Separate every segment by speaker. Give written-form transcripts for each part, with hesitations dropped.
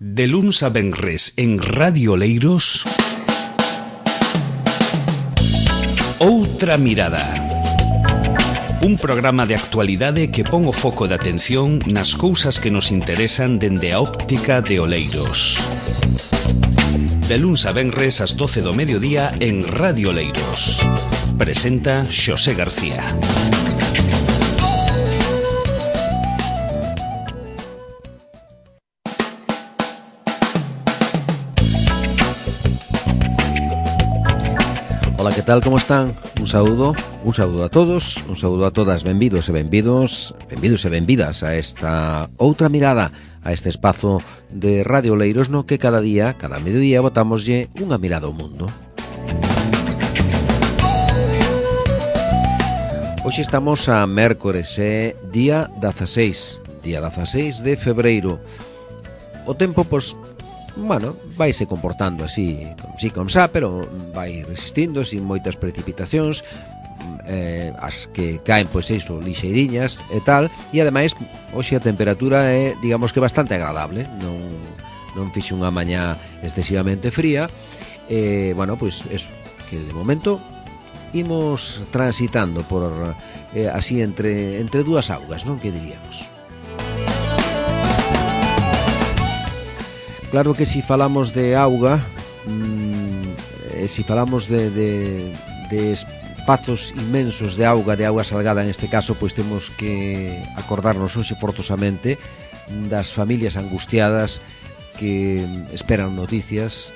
Speaker 1: De luns a venres en Radio Oleiros, Outra Mirada. Un programa de actualidade que pon o foco de atención nas cousas que nos interesan dende a óptica de Oleiros. De luns a venres ás 12 do mediodía en Radio Oleiros. Presenta Xosé García.
Speaker 2: Ola, que tal, como están? Un saúdo a todos, un saúdo a todas, benvidos e benvidas a esta Outra Mirada, a este espazo de Radio Oleiros no que cada día, cada mediodía, botámoslle unha mirada ao mundo. Hoxe estamos a mércores, día 16 de febreiro. O tempo, vaise comportando así, con xa, pero vai resistindo sin moitas precipitacións, as que caen, lixeiriñas e tal, e ademais, hoxe a temperatura é, digamos que bastante agradable, non fixe unha mañá excesivamente fría, eso, que de momento imos transitando por así entre dúas augas, non? Que diríamos? Claro que si falamos de auga, si falamos de espazos inmensos de auga salgada neste caso, pois temos que acordarnos hoxe forzosamente das familias angustiadas que esperan noticias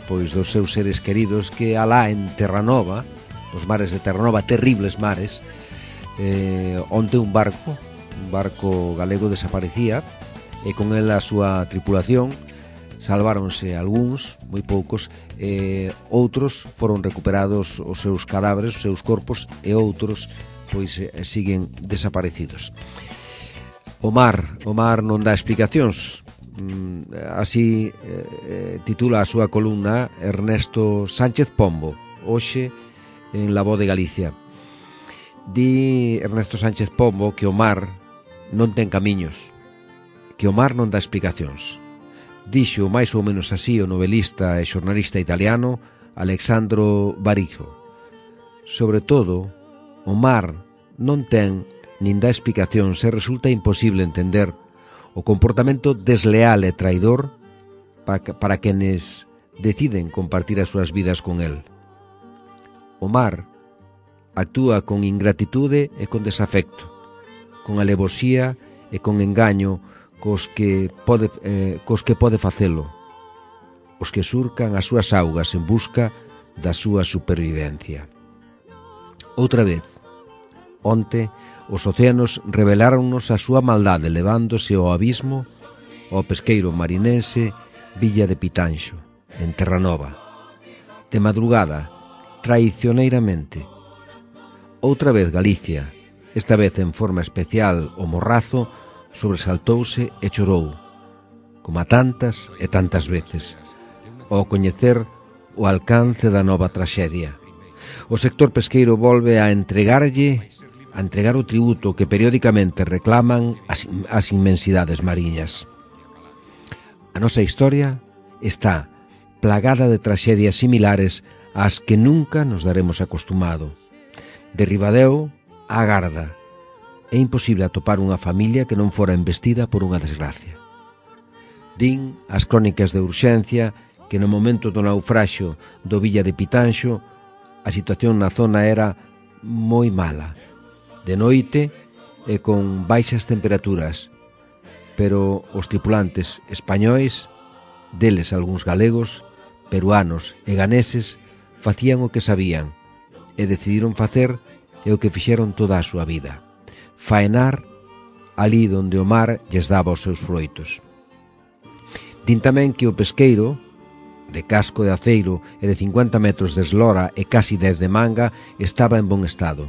Speaker 2: pois dos seus seres queridos que alá en Terranova, nos mares de Terranova, terribles mares, onte un barco galego desaparecía e con el a súa tripulación. Salváronse algúns, moi poucos, outros foron recuperados os seus cadáveres, os seus corpos, e outros pois siguen desaparecidos. O mar non dá explicacións. Así titula a súa columna Ernesto Sánchez Pombo, hoxe en La Voz de Galicia. Di Ernesto Sánchez Pombo que o mar non ten camiños, que o mar non dá explicacións. Dixo máis ou menos así o novelista e xornalista italiano Alessandro Barico. Sobre todo, o mar non ten nin dá explicación se resulta imposible entender o comportamento desleal e traidor para quenes deciden compartir as súas vidas con el. O mar actúa con ingratitude e con desafecto, con alevosía e con engaño cos que pode facelo, os que surcan as súas augas en busca da súa supervivencia. Outra vez, onte, os océanos reveláronnos a súa maldade levándose ao abismo ao pesqueiro marinense Villa de Pitanxo, en Terranova. De madrugada, traicioneiramente. Outra vez Galicia, esta vez en forma especial o Morrazo, sobresaltouse e chorou, como a tantas e tantas veces, ao coñecer o alcance da nova traxedia. O sector pesqueiro volve a entregar o tributo que periódicamente reclaman as inmensidades mariñas. A nosa historia está plagada de traxedias similares ás que nunca nos daremos acostumado. De Ribadeo á Garda, é imposible atopar unha familia que non fora embestida por unha desgracia. Din as crónicas de urxencia que no momento do naufraxio do Villa de Pitanxo a situación na zona era moi mala, de noite e con baixas temperaturas, pero os tripulantes españois, deles algúns galegos, peruanos e ganeses, facían o que sabían e decidiron facer o que fixeron toda a súa vida: faenar ali donde o mar lles daba os seus froitos. Din tamén que o pesqueiro, de casco de aceiro e de 50 metros de eslora e casi 10 de manga, estaba en bon estado,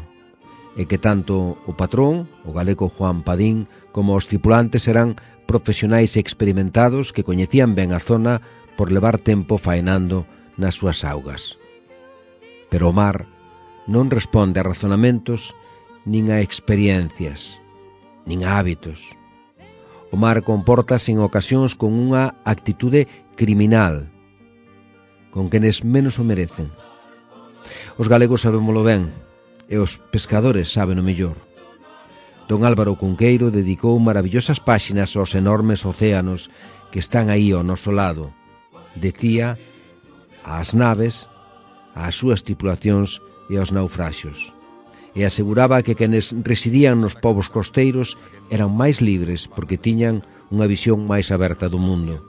Speaker 2: e que tanto o patrón, o galego Juan Padín, como os tripulantes eran profesionais experimentados que coñecían ben a zona por levar tempo faenando nas súas augas. Pero o mar non responde a razonamentos nin a experiencias, nin a hábitos. O mar comportase en ocasións con unha actitude criminal, con quenes menos o merecen. Os galegos sabémolo ben, e os pescadores saben o mellor. Don Álvaro Cunqueiro dedicou maravillosas páxinas aos enormes océanos que están aí ao noso lado. Decía ás naves, ás súas tripulacións e aos naufraxios. E aseguraba que quenes residían nos povos costeiros eran máis libres porque tiñan unha visión máis aberta do mundo.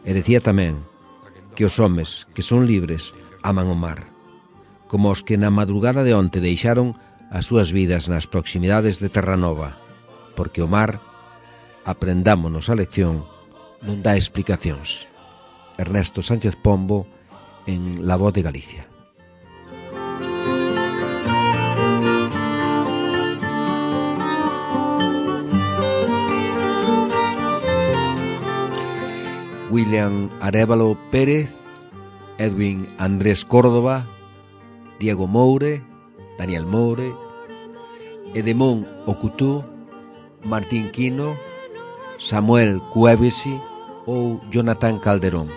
Speaker 2: E decía tamén que os homes que son libres aman o mar, como os que na madrugada de onte deixaron as súas vidas nas proximidades de Terranova, porque o mar, aprendámonos a lección, non dá explicacións. Ernesto Sánchez Pombo, en La Voz de Galicia. William Arévalo Pérez, Edwin Andrés Córdoba, Diego Moure, Daniel Moure, Edemón Ocutú, Martín Quino, Samuel Cuevesi ou Jonathan Calderón.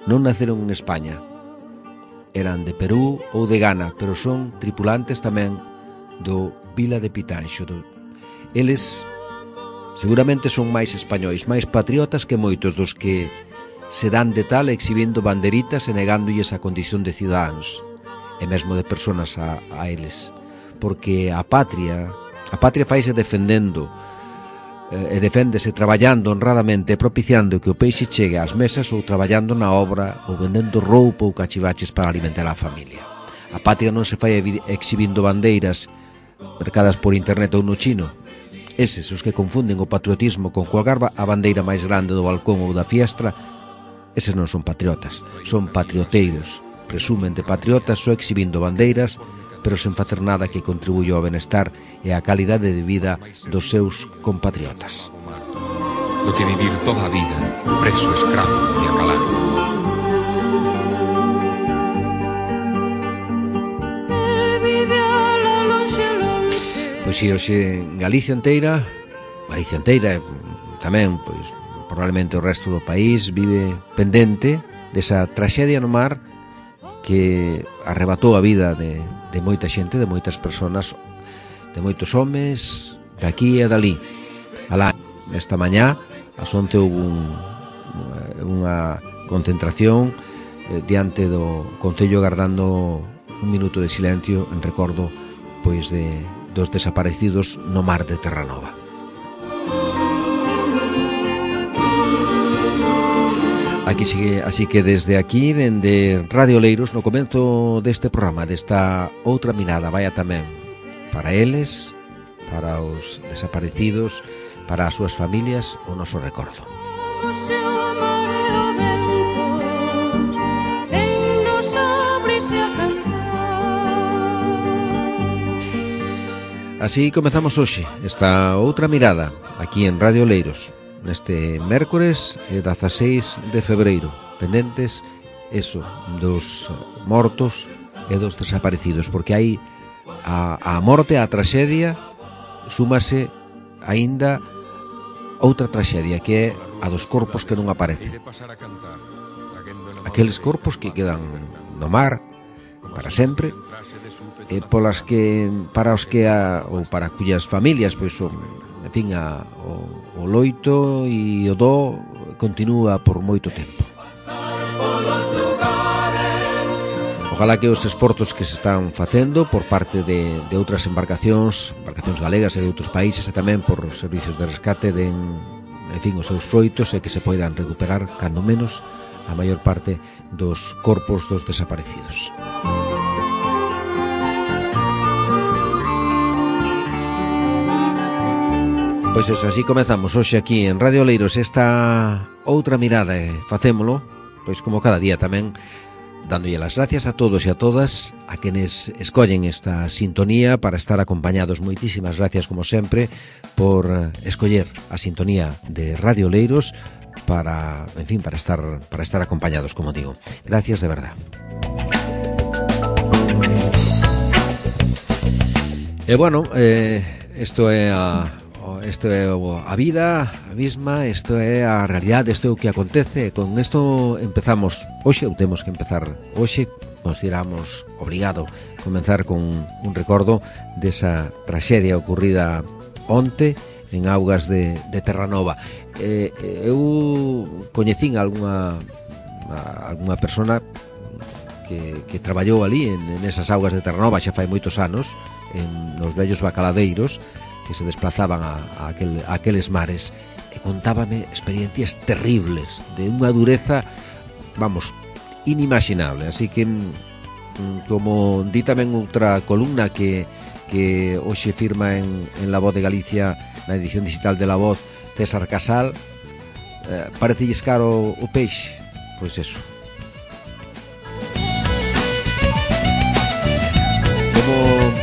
Speaker 2: Non naceron en España. Eran de Perú ou de Ghana, pero son tripulantes tamén do Vila de Pitanxo. Eles seguramente son máis españois, máis patriotas que moitos dos que se dan de tal exhibindo banderitas e negándolles a condición de cidadáns e mesmo de personas a eles, porque a patria faise defendendo e deféndese traballando honradamente e propiciando que o peixe chegue ás mesas ou traballando na obra ou vendendo roupa ou cachivaches para alimentar a familia. A patria non se fai exhibindo bandeiras mercadas por internet ou no chino. Eses os que confunden o patriotismo con colgar a bandeira máis grande do balcón ou da fiestra, eses non son patriotas, son patrioteiros. Presumen de patriotas só exhibindo bandeiras, pero sen facer nada que contribuya ao benestar e á calidade de vida dos seus compatriotas.
Speaker 3: Do que vivir toda a vida preso, escravo e acalado.
Speaker 2: Pois si, hoxe en Galicia inteira e tamén, pois, probablemente o resto do país vive pendente desa traxedia no mar que arrebatou a vida de moita xente, de moitas persoas, de moitos homes, de aquí e dali. Alá, esta mañá, ás 11 houve unha concentración diante do Concello agardando un minuto de silencio en recordo pois dos desaparecidos no mar de Terranova. Así que desde aquí, dende Radio Oleiros, no comenzo deste programa, desta outra mirada, vaya tamén para eles, para os desaparecidos, para as súas familias, o noso recordo. Así comezamos hoxe esta outra mirada aquí en Radio Oleiros, neste mércores 16 de febreiro, pendentes dos mortos e dos desaparecidos, porque hai a morte, a traxedia, súmase aínda outra traxedia, que é a dos corpos que non aparecen. Aqueles corpos que quedan no mar para sempre, para cuyas familias, pois, en fin, o loito e o do continúa por moito tempo. Ojalá que os esforzos que se están facendo por parte de outras embarcacións galegas e de outros países, e tamén por servicios de rescate, den, en fin, os seus froitos, e que se poidan recuperar, cando menos, a maior parte dos corpos dos desaparecidos. Pois eso, así comezamos hoxe aquí en Radio Oleiros esta outra mirada, e facémolo, pois como cada día tamén, dándolle as gracias a todos e a todas, a quenes escollen esta sintonía para estar acompañados. Moitísimas gracias, como sempre, por escoller a sintonía de Radio Oleiros para, en fin, para estar acompañados, como digo. Gracias de verdad. E bueno, isto é isto é a vida, a mesma, isto é a realidade, isto é o que acontece. Con isto empezamos hoxe, ou temos que empezar hoxe. Consideramos obrigado comenzar con un recordo desa traxedia ocurrida onte en augas de Terranova. Eu coñecín algunha persona que traballou ali en esas augas de Terranova xa fai moitos anos, nos vellos bacaladeiros que se desplazaban a aqueles mares, e contábame experiencias terribles de unha dureza, vamos, inimaginable. Así que, como di tamén outra columna que hoxe firma en La Voz de Galicia, na edición digital de La Voz, César Casal, parecelles caro o peixe? Pois eso.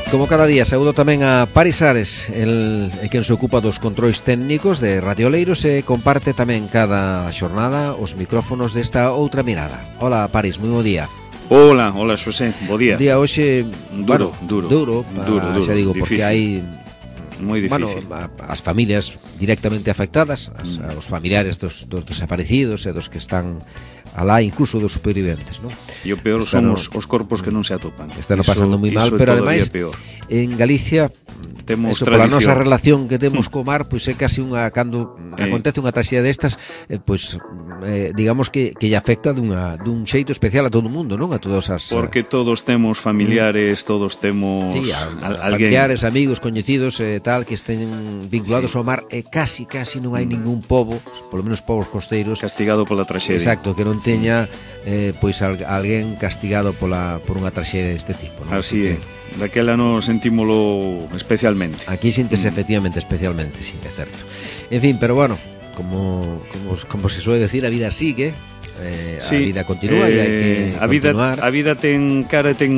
Speaker 2: Como cada día, saúdo tamén a Paris Ares, quen se ocupa dos controis técnicos de Radio Oleiros e comparte tamén cada xornada os micrófonos desta outra mirada. Hola, Paris, moi bo día.
Speaker 4: Hola, Xosé, bo día.
Speaker 2: Día hoxe
Speaker 4: duro,
Speaker 2: xa digo,
Speaker 4: difícil.
Speaker 2: porque hai
Speaker 4: moi difícil.
Speaker 2: As familias directamente afectadas, os familiares dos desaparecidos e dos que están alá, incluso dos superviventes, ¿no?
Speaker 4: E o peor son os corpos que non se atopan.
Speaker 2: Están pasando moi mal, pero ademais en Galicia
Speaker 4: temos
Speaker 2: pola nosa relación que temos co mar, pois é casi cando acontece unha traxedia destas, digamos que lle afecta dun xeito especial a todo o mundo, non? A todas as...
Speaker 4: Porque todos temos familiares, todos temos alguén.
Speaker 2: Familiares, amigos, coñecidos e tal, que estén vinculados ao mar, e casi non hai ningún pobo, polo menos povos costeiros,
Speaker 4: castigado pola traxedia.
Speaker 2: Exacto, que non teña alguén castigado por unha traxedia deste tipo, non?
Speaker 4: Así é. Daquela nos sentímolo especialmente.
Speaker 2: Aquí síntese efectivamente, especialmente, sí, é certo. En fin, pero bueno, como se suele decir, a vida sigue, a vida continúa e hai que continuar.
Speaker 4: A vida ten cara e ten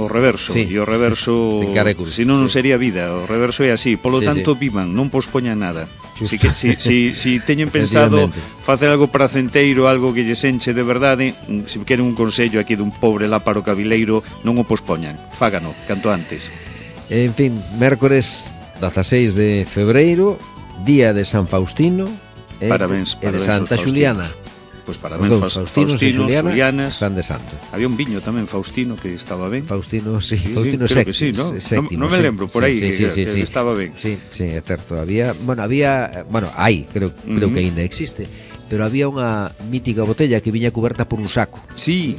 Speaker 4: o reverso, e o reverso, se non sería vida, o reverso é así. Polo tanto, vivan, non pospoñan nada. Si teñen pensado facer algo pracenteiro, algo que lles enche de verdade, se queren un consello aquí dun pobre láparo cabileiro, non o pospoñan, fágano canto antes.
Speaker 2: En fin, mércores 16 de febreiro, día de San Faustino e de Santa Xuliana.
Speaker 4: Pois parabéns,
Speaker 2: Faustino e Xulianas están de santo.
Speaker 4: Había un viño tamén, Faustino, que estaba ben.
Speaker 2: Faustino, sí,
Speaker 4: Faustino
Speaker 2: creo
Speaker 4: que sí, ¿no? Non me lembro por aí que estaba ben.
Speaker 2: Sí, é certo. Hai, creo que ainda existe, pero había unha mítica botella que viña cuberta por un saco.
Speaker 4: Sí.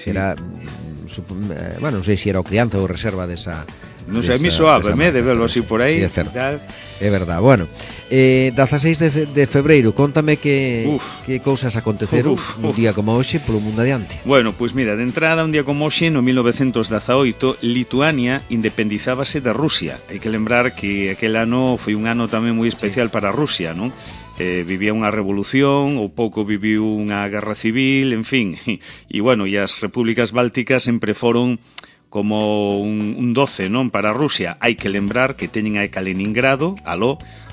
Speaker 2: Era, non sei se era o crianza ou reserva desa...
Speaker 4: Non sei, a mí soábame de verlo así por aí.
Speaker 2: É certo. É verdad. Bueno, 16 de febreiro, contame que cousas aconteceron un día como hoxe polo mundo adiante.
Speaker 4: Bueno, pois mira, de entrada, un día como hoxe, no 1918, Lituania independizábase de Rusia. Hai que lembrar que aquel ano foi un ano tamén moi especial para Rusia, non? Vivía unha revolución, ou pouco viviu unha guerra civil, en fin. E bueno, e as repúblicas bálticas sempre foron como un doce, non, para Rusia. Hai que lembrar que teñen a Kaliningrado,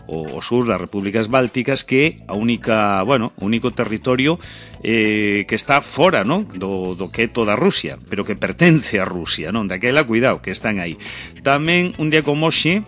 Speaker 4: o sur das repúblicas bálticas, que é o único territorio que está fora, non, do que é toda Rusia, pero que pertence a Rusia, non, daquela, cuidado, que están aí. Tamén, un día como hoxe,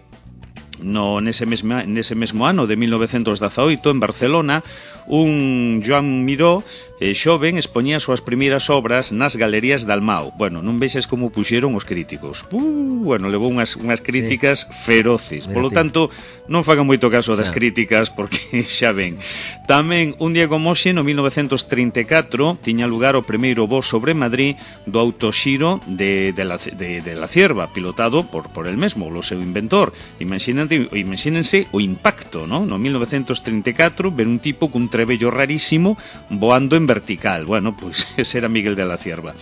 Speaker 4: nese mesmo ano de 1918, en Barcelona, un Joan Miró xoven expoñía as súas primeiras obras nas galerías de Almao. Bueno, non vexes como puxeron os críticos. Levou unhas críticas feroces. Polo tanto, non fagan moito caso das críticas, porque xa ven. Tamén, un día como hoxe, no 1934, tiña lugar o primeiro voo sobre Madrid do autoxiro de la Cierva, pilotado por el mesmo, o seu inventor. Imagínense o impacto, ¿no? No 1934, ver un tipo cun trebello rarísimo voando en vertical. Bueno, pois ese era Miguel de la Cierva.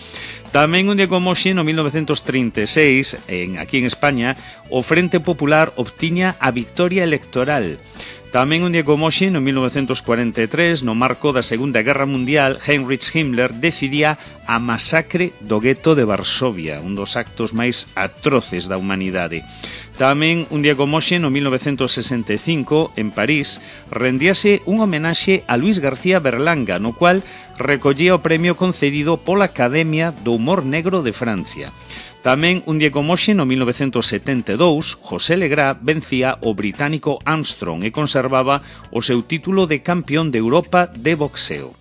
Speaker 4: Tamén un día como hoxe, no 1936, aquí en España, o Frente Popular obtiña a victoria electoral. Tamén un día como hoxe, no 1943, no marco da Segunda Guerra Mundial, Heinrich Himmler decidía a masacre do gueto de Varsovia, un dos actos máis atroces da humanidade. Tamén un día como hoxe, no 1965, en París, rendíase un homenaxe a Luis García Berlanga, no cual recollía o premio concedido pola Academia do Humor Negro de Francia. Tamén un día como hoxe, no 1972, José Legrá vencía o británico Armstrong e conservaba o seu título de campeón de Europa de boxeo.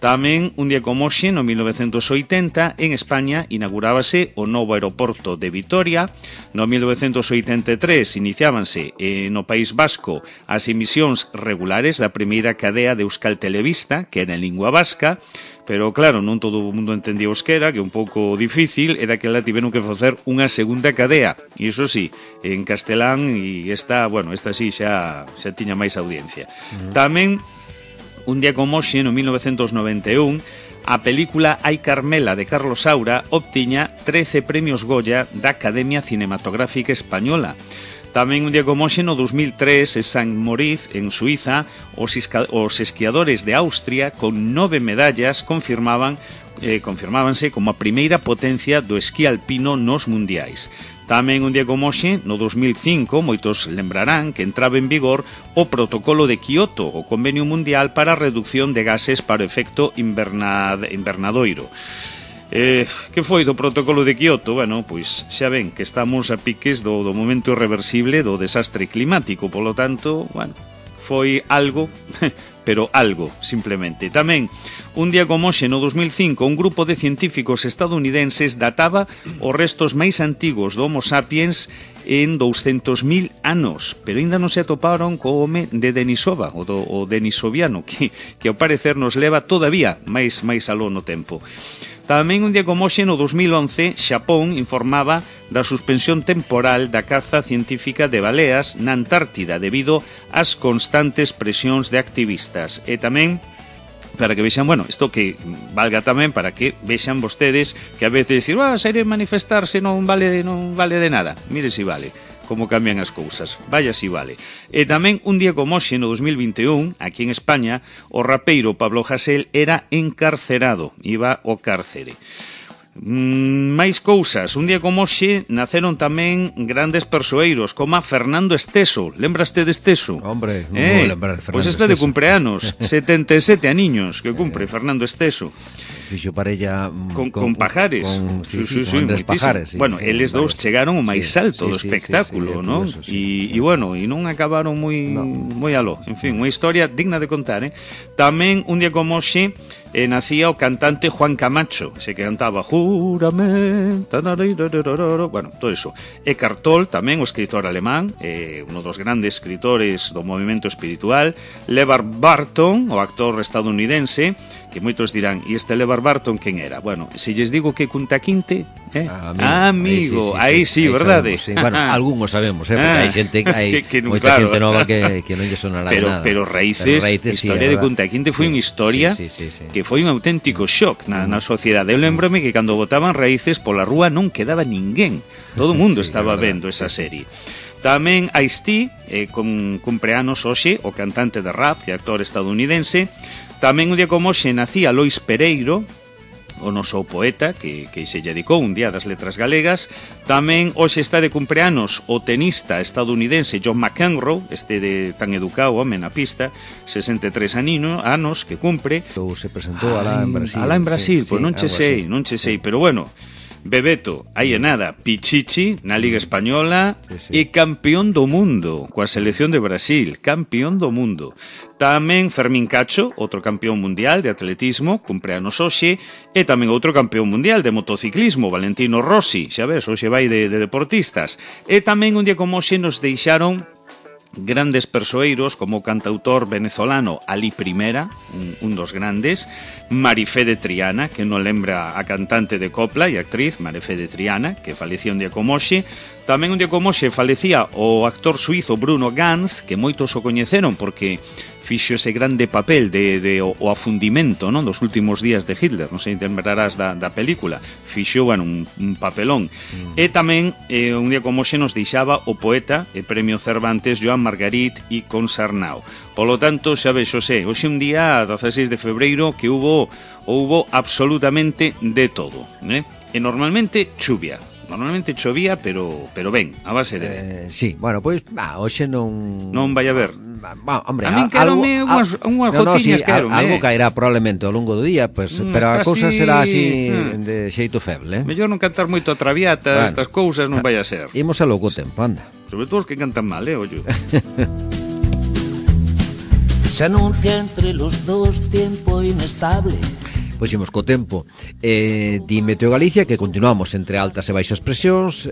Speaker 4: Tamén, un día como hoxe, no 1980, en España inaugurábase o novo aeroporto de Vitoria. No 1983 iniciábanse no País Vasco as emisións regulares da primeira cadea de Euskal Telebista, que era en lingua vasca, pero claro, non todo o mundo entendía euskera, que é un pouco difícil, e daquela tiveron que facer unha segunda cadea, e iso sí, en castelán, e esta sí xa tiña máis audiencia. Tamén, un día como hoxe, no 1991, a película Ai Carmela de Carlos Saura obtiña 13 premios Goya da Academia Cinematográfica Española. Tamén un día como hoxe, no 2003, en San Moritz, en Suiza, os esquiadores de Austria, con 9 medallas, confirmábanse como a primeira potencia do esquí alpino nos mundiais. Tamén un día como hoxe, no 2005, moitos lembrarán que entraba en vigor o protocolo de Kioto, o convenio mundial para a reducción de gases para o efecto invernadoiro. Que foi do protocolo de Kioto? Bueno, pois xa ven que estamos a piques do momento irreversible do desastre climático, polo tanto, bueno, foi algo, pero algo, simplemente. Tamén, un día como hoxe, no 2005, un grupo de científicos estadounidenses databa os restos máis antigos do Homo sapiens en 200.000 anos, pero ainda non se atoparon co home de Denisova, o denisoviano, que ao parecer nos leva todavía máis aló no tempo. Tamén un día como hoxe, no 2011, Xapón informaba da suspensión temporal da caza científica de baleas na Antártida debido ás constantes presións de activistas. E tamén, para que vexan, bueno, isto que valga tamén para que vexan vostedes que a veces dicir, sair a manifestarse non vale de nada. Mire si vale. Como cambian as cousas, vaya si vale. E tamén un día como hoxe, no 2021, aquí en España, o rapeiro Pablo Hasél era encarcerado, iba ao cárcere. Máis cousas, un día como hoxe naceron tamén grandes persoeiros como a Fernando Esteso. Lembraste de Esteso?
Speaker 2: Hombre, non vou lembrar de Fernando
Speaker 4: Pois este de cumpleanos, 77 aniños que cumpre Fernando Esteso.
Speaker 2: Fixo parella
Speaker 4: con Pajares,
Speaker 2: con Andrés Pajares.
Speaker 4: Bueno, eles dous chegaron o máis alto do espectáculo, non? E bueno, e non acabaron moi aló. En fin, unha historia digna de contar, Tamén un día como hoxe nacía o cantante Juan Camacho, ese que cantaba Juramento, bueno, todo eso. Eckhart Tolle, tamén o escritor alemán, uno dos grandes escritores do movimento espiritual. LeVar Burton, o actor estadounidense, que moitos dirán, e este LeVar Burton quen era? Bueno, se lles digo que Kunta Kinte, amigo, aí sí, verdade?
Speaker 2: Sabemos, sí. Bueno, algúns sabemos, porque hai xente, moita xente nova que non lle sonará de nada.
Speaker 4: Pero Raíces, a historia de Kunta Kinte foi unha historia que foi un auténtico shock na sociedade. Eu lembrome que cando botaban Raíces pola rúa non quedaba ninguén. Todo o mundo estaba vendo esa serie. Tamén Ice-T, con cumpleanos hoxe, o cantante de rap e actor estadounidense. Tamén un día como hoxe nacía Lois Pereiro, o noso poeta que se dedicou un día das letras galegas. Tamén hoxe está de cumpleanos o tenista estadounidense John McEnroe, tan educado home na pista, 63 anos que cumpre.
Speaker 2: Se presentou alá en Brasil.
Speaker 4: Alá en Brasil, pois non che sei, pero bueno, Bebeto, aí é nada, Pichichi na Liga Española e campeón do mundo coa selección de Brasil, campeón do mundo. Tamén Fermín Cacho, outro campeón mundial de atletismo, cumpleanos hoxe, e tamén outro campeón mundial de motociclismo, Valentino Rossi, xa ves, hoxe vai de deportistas. E tamén un día como hoxe nos deixaron grandes persoeiros como o cantautor venezolano Ali Primera, un dos grandes, Marifé de Triana, que non lembra a cantante de copla e actriz Marifé de Triana, que falecía un día como hoxe. Tamén un día como hoxe falecía o actor suizo Bruno Ganz, que moitos o coñeceron porque fixo ese grande papel de o afundimento, non, dos últimos días de Hitler, non sei, te lembrarás da película. Fixo, bueno, un papelón. E tamén, un día como hoxe nos deixaba o poeta e premio Cervantes Joan Margarit e Consarnau. Polo tanto, xa vexo, hoxe un día, 16 de febreiro, que houbo absolutamente de todo, E normalmente chuvia. Normalmente chovía, pero ben, a base de ben.
Speaker 2: Sí, bueno, pois, hoxe non...
Speaker 4: Non vai a ver.
Speaker 2: Hombre,
Speaker 4: a min quérome unhas gotiñas,
Speaker 2: algo caerá probablemente ao longo do día, pues, pero a cousa será así de xeito feble,
Speaker 4: Mellor non cantar moito a traviata, estas cousas non vai a ser.
Speaker 2: Imos a logo tempo, anda.
Speaker 4: Sobre todo os que cantan mal, ollo.
Speaker 5: Se anuncia entre los dos tiempo inestable.
Speaker 2: Pois imos co tempo. Di Meteo Galicia que continuamos entre altas e baixas presións.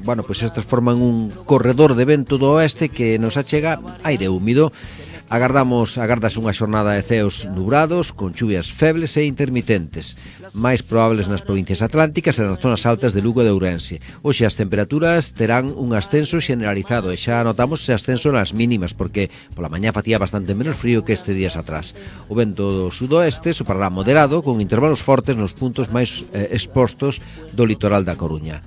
Speaker 2: Bueno, pois estas forman un corredor de vento do oeste que nos achega aire húmido. Agardase unha xornada de ceos nubrados, con chuvias febles e intermitentes, máis probables nas provincias atlánticas e nas zonas altas de Lugo e de Ourense. Hoxe as temperaturas terán un ascenso xeneralizado e xa notamos ese ascenso nas mínimas, porque pola mañá facía bastante menos frío que estes días atrás. O vento do sudoeste soprará moderado, con intervalos fortes nos puntos máis expostos do litoral da Coruña.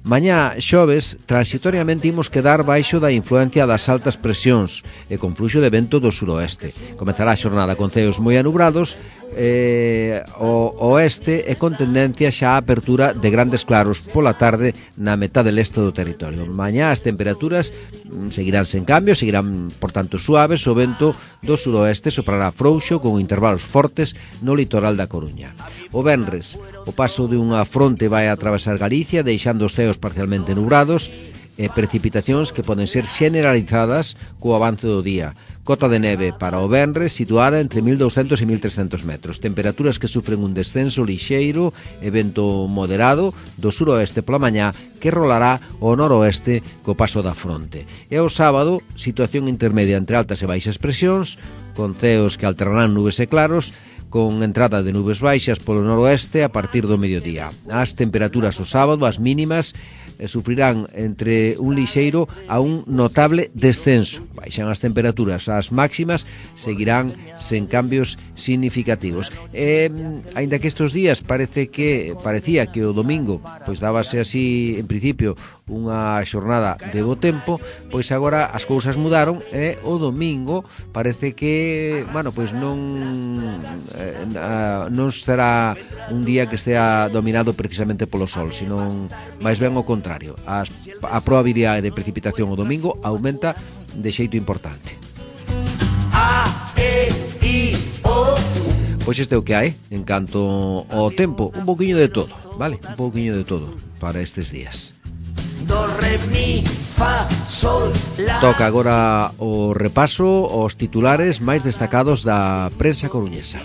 Speaker 2: Mañá xoves, transitoriamente imos quedar baixo da influencia das altas presións e con fluxo de vento do suroeste. Comezará a xornada con ceos moi anubrados o oeste e con tendencia xa a apertura de grandes claros pola tarde na metade leste do territorio. Mañá as temperaturas seguirán sen cambio, seguirán, por tanto, suaves. O vento do suroeste soprará frouxo con intervalos fortes no litoral da Coruña. O venres, o paso de unha fronte vai a atravesar Galicia, deixando os ceos parcialmente nubrados e precipitacións que poden ser generalizadas co avance do día. Cota de neve para o venres situada entre 1.200 e 1.300 metros. Temperaturas que sufren un descenso lixeiro e vento moderado do suroeste pola mañá que rolará ao noroeste co paso da fronte. E o sábado, situación intermedia entre altas e baixas presións, con ceos que alternarán nubes e claros, con entrada de nubes baixas polo noroeste a partir do mediodía. As temperaturas o sábado, as mínimas, sufrirán entre un lixeiro a un notable descenso. Baixan as temperaturas, as máximas seguirán sen cambios significativos. Aínda que estes días parecía que o domingo pois dábase así, en principio, unha xornada de bo tempo, pois agora as cousas mudaron e o domingo parece que, bueno, pois non será un día que estea dominado precisamente polo sol, senón máis ben o contrario. A probabilidade de precipitación o domingo aumenta de xeito importante. Pois este é o que hai en canto ao tempo, un pouquiño de todo, vale? Un pouquiño de todo para estes días. Toca agora o repaso aos titulares máis destacados da prensa coruñesa.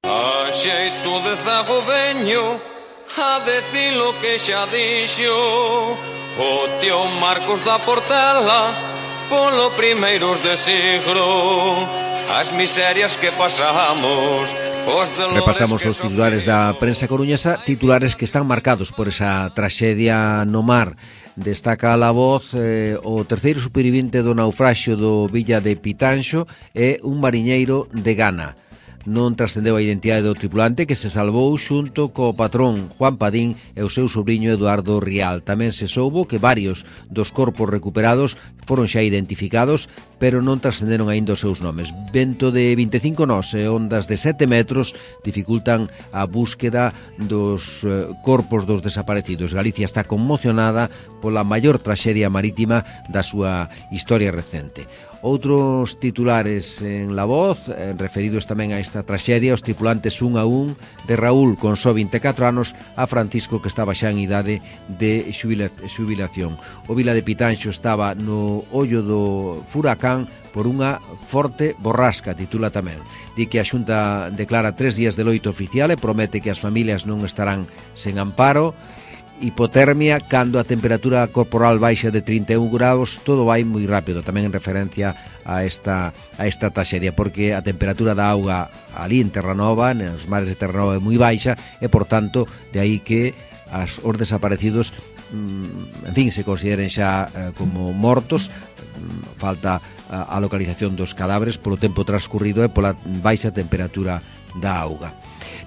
Speaker 6: A xeito de zago veño a decir lo que xa dixo o tío Marcos da Portela polo primeiros de siglo, as miserias que pasamos.
Speaker 2: Repasamos os titulares da prensa coruñesa, titulares que están marcados por esa traxedia no mar. Destaca a La Voz o terceiro supervivente do naufraxio do Villa de Pitanxo e un mariñeiro de Ghana. Non trascendeu a identidade do tripulante que se salvou xunto co patrón Juan Padín e o seu sobrinho Eduardo Rial. Tamén se soubo que varios dos corpos recuperados foron xa identificados, pero non trascenderon aínda os seus nomes. Vento de 25 nós e ondas de 7 metros dificultan a búsqueda dos corpos dos desaparecidos. Galicia está conmocionada pola maior traxedia marítima da súa historia recente. Outros titulares en La Voz, referidos tamén a esta traxedia, os tripulantes 1 a 1 de Raúl, con só 24 anos, a Francisco, que estaba xa en idade de xubilación. O Vila de Pitanxo estaba no ollo do furacán por unha forte borrasca, titula tamén. Di que a Xunta declara 3 días de loito oficial e promete que as familias non estarán sen amparo. Hipotermia, cando a temperatura corporal baixa de 31 graus, todo vai moi rápido, tamén en referencia a esta traxedia, porque a temperatura da auga ali en Terranova, nos mares de Terranova, é moi baixa e, por tanto, de aí que os desaparecidos, en fin, se consideren xa como mortos. Falta a localización dos cadáveres polo tempo transcurrido e pola baixa temperatura da auga.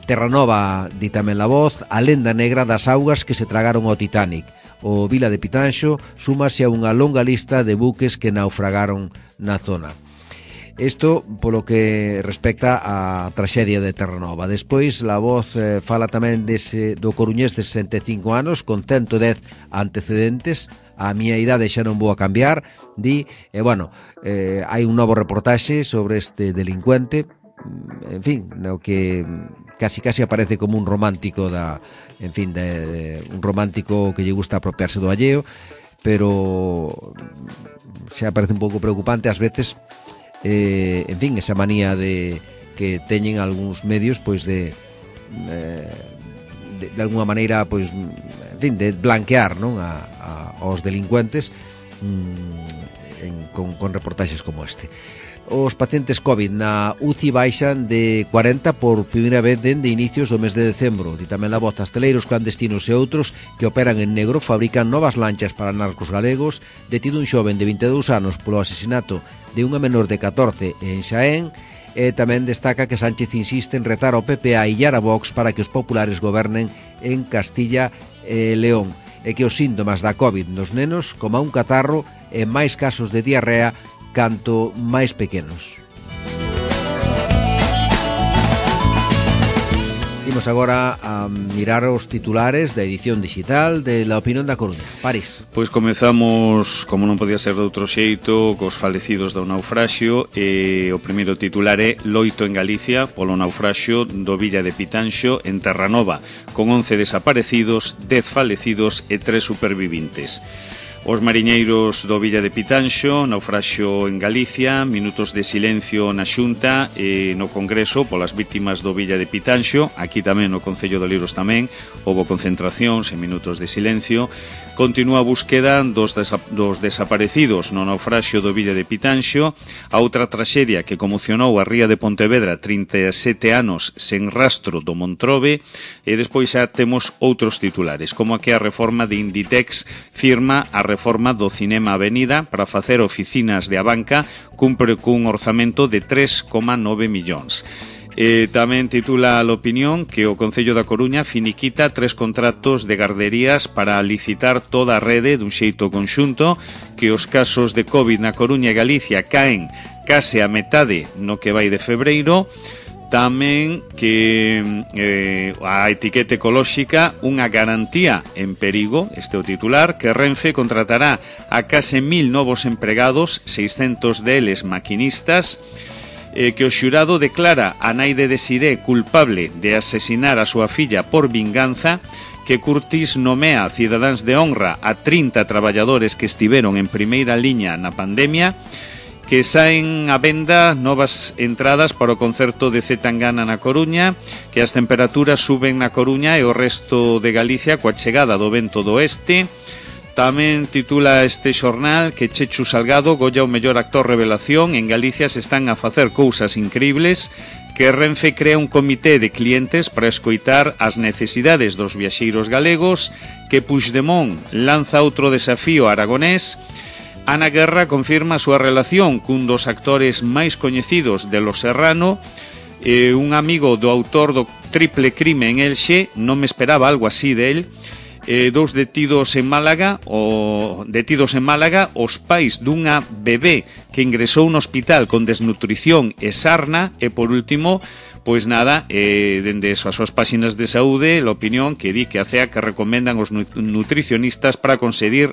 Speaker 2: Terranova, di tamén La Voz, a lenda negra das augas que se tragaron ao Titanic. O Vila de Pitanxo súmase a unha longa lista de buques que naufragaron na zona. Isto polo que respecta á traxedia de Terranova. Despois, La Voz fala tamén do coruñés de 65 anos, con 110 antecedentes. A miña idade xa non vou a cambiar, di, hai un novo reportaxe sobre este delincuente, en fin, no que casi aparece como un romántico un romántico que lle gusta apropiarse do alleo, pero xa parece un pouco preocupante ás veces, en fin, esa manía que teñen algúns medios, pois de alguna maneira, pois, en fin, de blanquear, non, aos delincuentes con reportaxes como este. Os pacientes COVID na UCI baixan de 40 por primeira vez dende inicios do mes de decembro. Di tamén La Voz, asteleiros clandestinos e outros que operan en negro fabrican novas lanchas para narcos galegos. Detido un xoven de 22 anos polo asesinato de unha menor de 14 en Xaén. E tamén destaca que Sánchez insiste en retar ao PP a illar a Vox para que os populares gobernen en Castilla e León, e que os síntomas da COVID nos nenos, como un catarro e máis casos de diarrea canto máis pequenos. Imos agora a mirar os titulares da edición digital de La Opinión da Coruña. París.
Speaker 4: Pois comezamos, como non podía ser de outro xeito, cos falecidos do naufraxio, e o primeiro titular é Loito en Galicia polo naufraxio do Villa de Pitanxo en Terranova, con 11 desaparecidos, 10 falecidos e 3 supervivintes. Os mariñeiros do Villa de Pitanxo, naufraxio en Galicia, minutos de silencio na Xunta e no Congreso polas vítimas do Villa de Pitanxo. Aquí tamén no Concello de Oleiros tamén houbo concentracións e minutos de silencio. Continúa a búsqueda dos desaparecidos no naufraxio do Villa de Pitanxo. A outra traxedia que conmocionou a ría de Pontevedra, 37 anos sen rastro do Montrobe. E despois xa temos outros titulares, como a que a reforma de Inditex firma a reforma do Cinema Avenida para facer oficinas de Abanca, cumpre cun orzamento de 3,9 millóns. Tamén titula a opinión que o Concello da Coruña finiquita 3 contratos de garderías para licitar toda a rede dun xeito conxunto, que os casos de COVID na Coruña e Galicia caen case a metade no que vai de febreiro. Tamén que a etiqueta ecolóxica unha garantía en perigo, este é o titular, que Renfe contratará a case 1000 novos empregados, 600 deles maquinistas, que o xurado declara a nai de Desiré culpable de asesinar a súa filla por vinganza, que Curtis nomea cidadáns de honra a 30 traballadores que estiveron en primeira liña na pandemia, que saen a venda novas entradas para o concerto de Z Tangana na Coruña, que as temperaturas suben na Coruña e o resto de Galicia coa chegada do vento do oeste. Tamén titula este xornal que Chechu Salgado golla o mellor actor revelación. En Galicia se están a facer cousas increíbles, que Renfe crea un comité de clientes para escoitar as necesidades dos viaxeiros galegos, que Puigdemont lanza outro desafío aragonés. Ana Guerra confirma a súa relación cun dos actores máis coñecidos de Los Serrano. Un amigo do autor do triple crime en Elxe, non me esperaba algo así de él. Dous detidos en Málaga, os pais dunha bebé que ingresou no hospital con desnutrición e sarna. E por último, pois nada, dende as súas páxinas de saúde, a opinión que di que a CEA que recomendan os nutricionistas para conseguir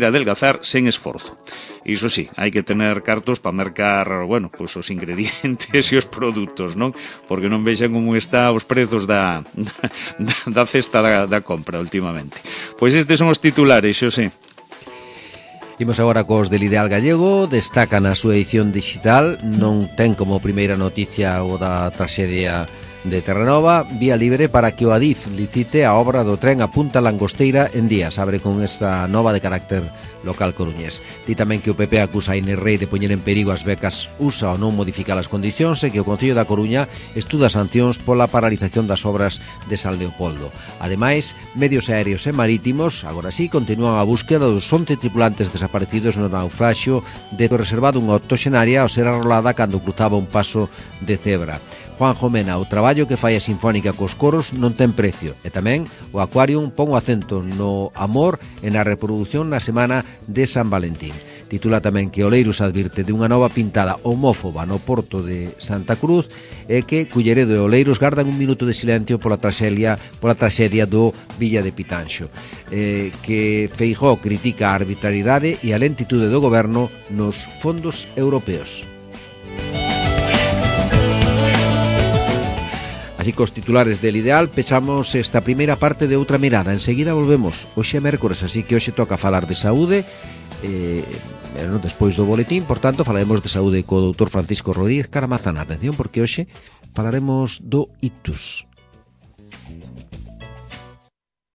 Speaker 4: adelgazar sen esforzo. Iso sí, hai que tener cartos para mercar, bueno, pois os ingredientes e os produtos, non? Porque non vexan como está os prezos da cesta da compra últimamente. Pois estes son os titulares, Xosé.
Speaker 2: Imos agora cos del Ideal Gallego. Destaca na súa edición digital, non ten como primeira noticia o da traxedia de Terranova, vía libre para que o Adif licite a obra do tren a Punta Langosteira en Días. Abre con esta nova de carácter local coruñés. Di tamén que o PP acusa a Inés Rei de poñer en perigo as becas USA ou non modificar as condicións, e que o Concello da Coruña estuda sancións pola paralización das obras de San Leopoldo. Ademais, medios aéreos e marítimos agora sí continúan a búsqueda dos 11 tripulantes desaparecidos no naufraxio de reservado unha octoxenaria ao ser arrolada cando cruzaba un paso de cebra. Juanjo Mena, o traballo que fai a Sinfónica cos coros non ten precio, e tamén o Aquarium pon o acento no amor e na reproducción na semana de San Valentín. Titula tamén que Oleiros advirte de unha nova pintada homófoba no porto de Santa Cruz e que Culleredo e Oleiros gardan un minuto de silencio pola traxedia do Villa de Pitanxo. Que Feijóo critica a arbitrariedade e a lentitude do goberno nos fondos europeos. Así cos titulares del Ideal pechamos esta primeira parte de Outra Mirada. Enseguida volvemos. Hoxe é mércores, así que hoxe toca falar de saúde despois do boletín. Por tanto, falaremos de saúde co doutor Francisco Rodríguez Caramazán. Atención, porque hoxe falaremos do ictus.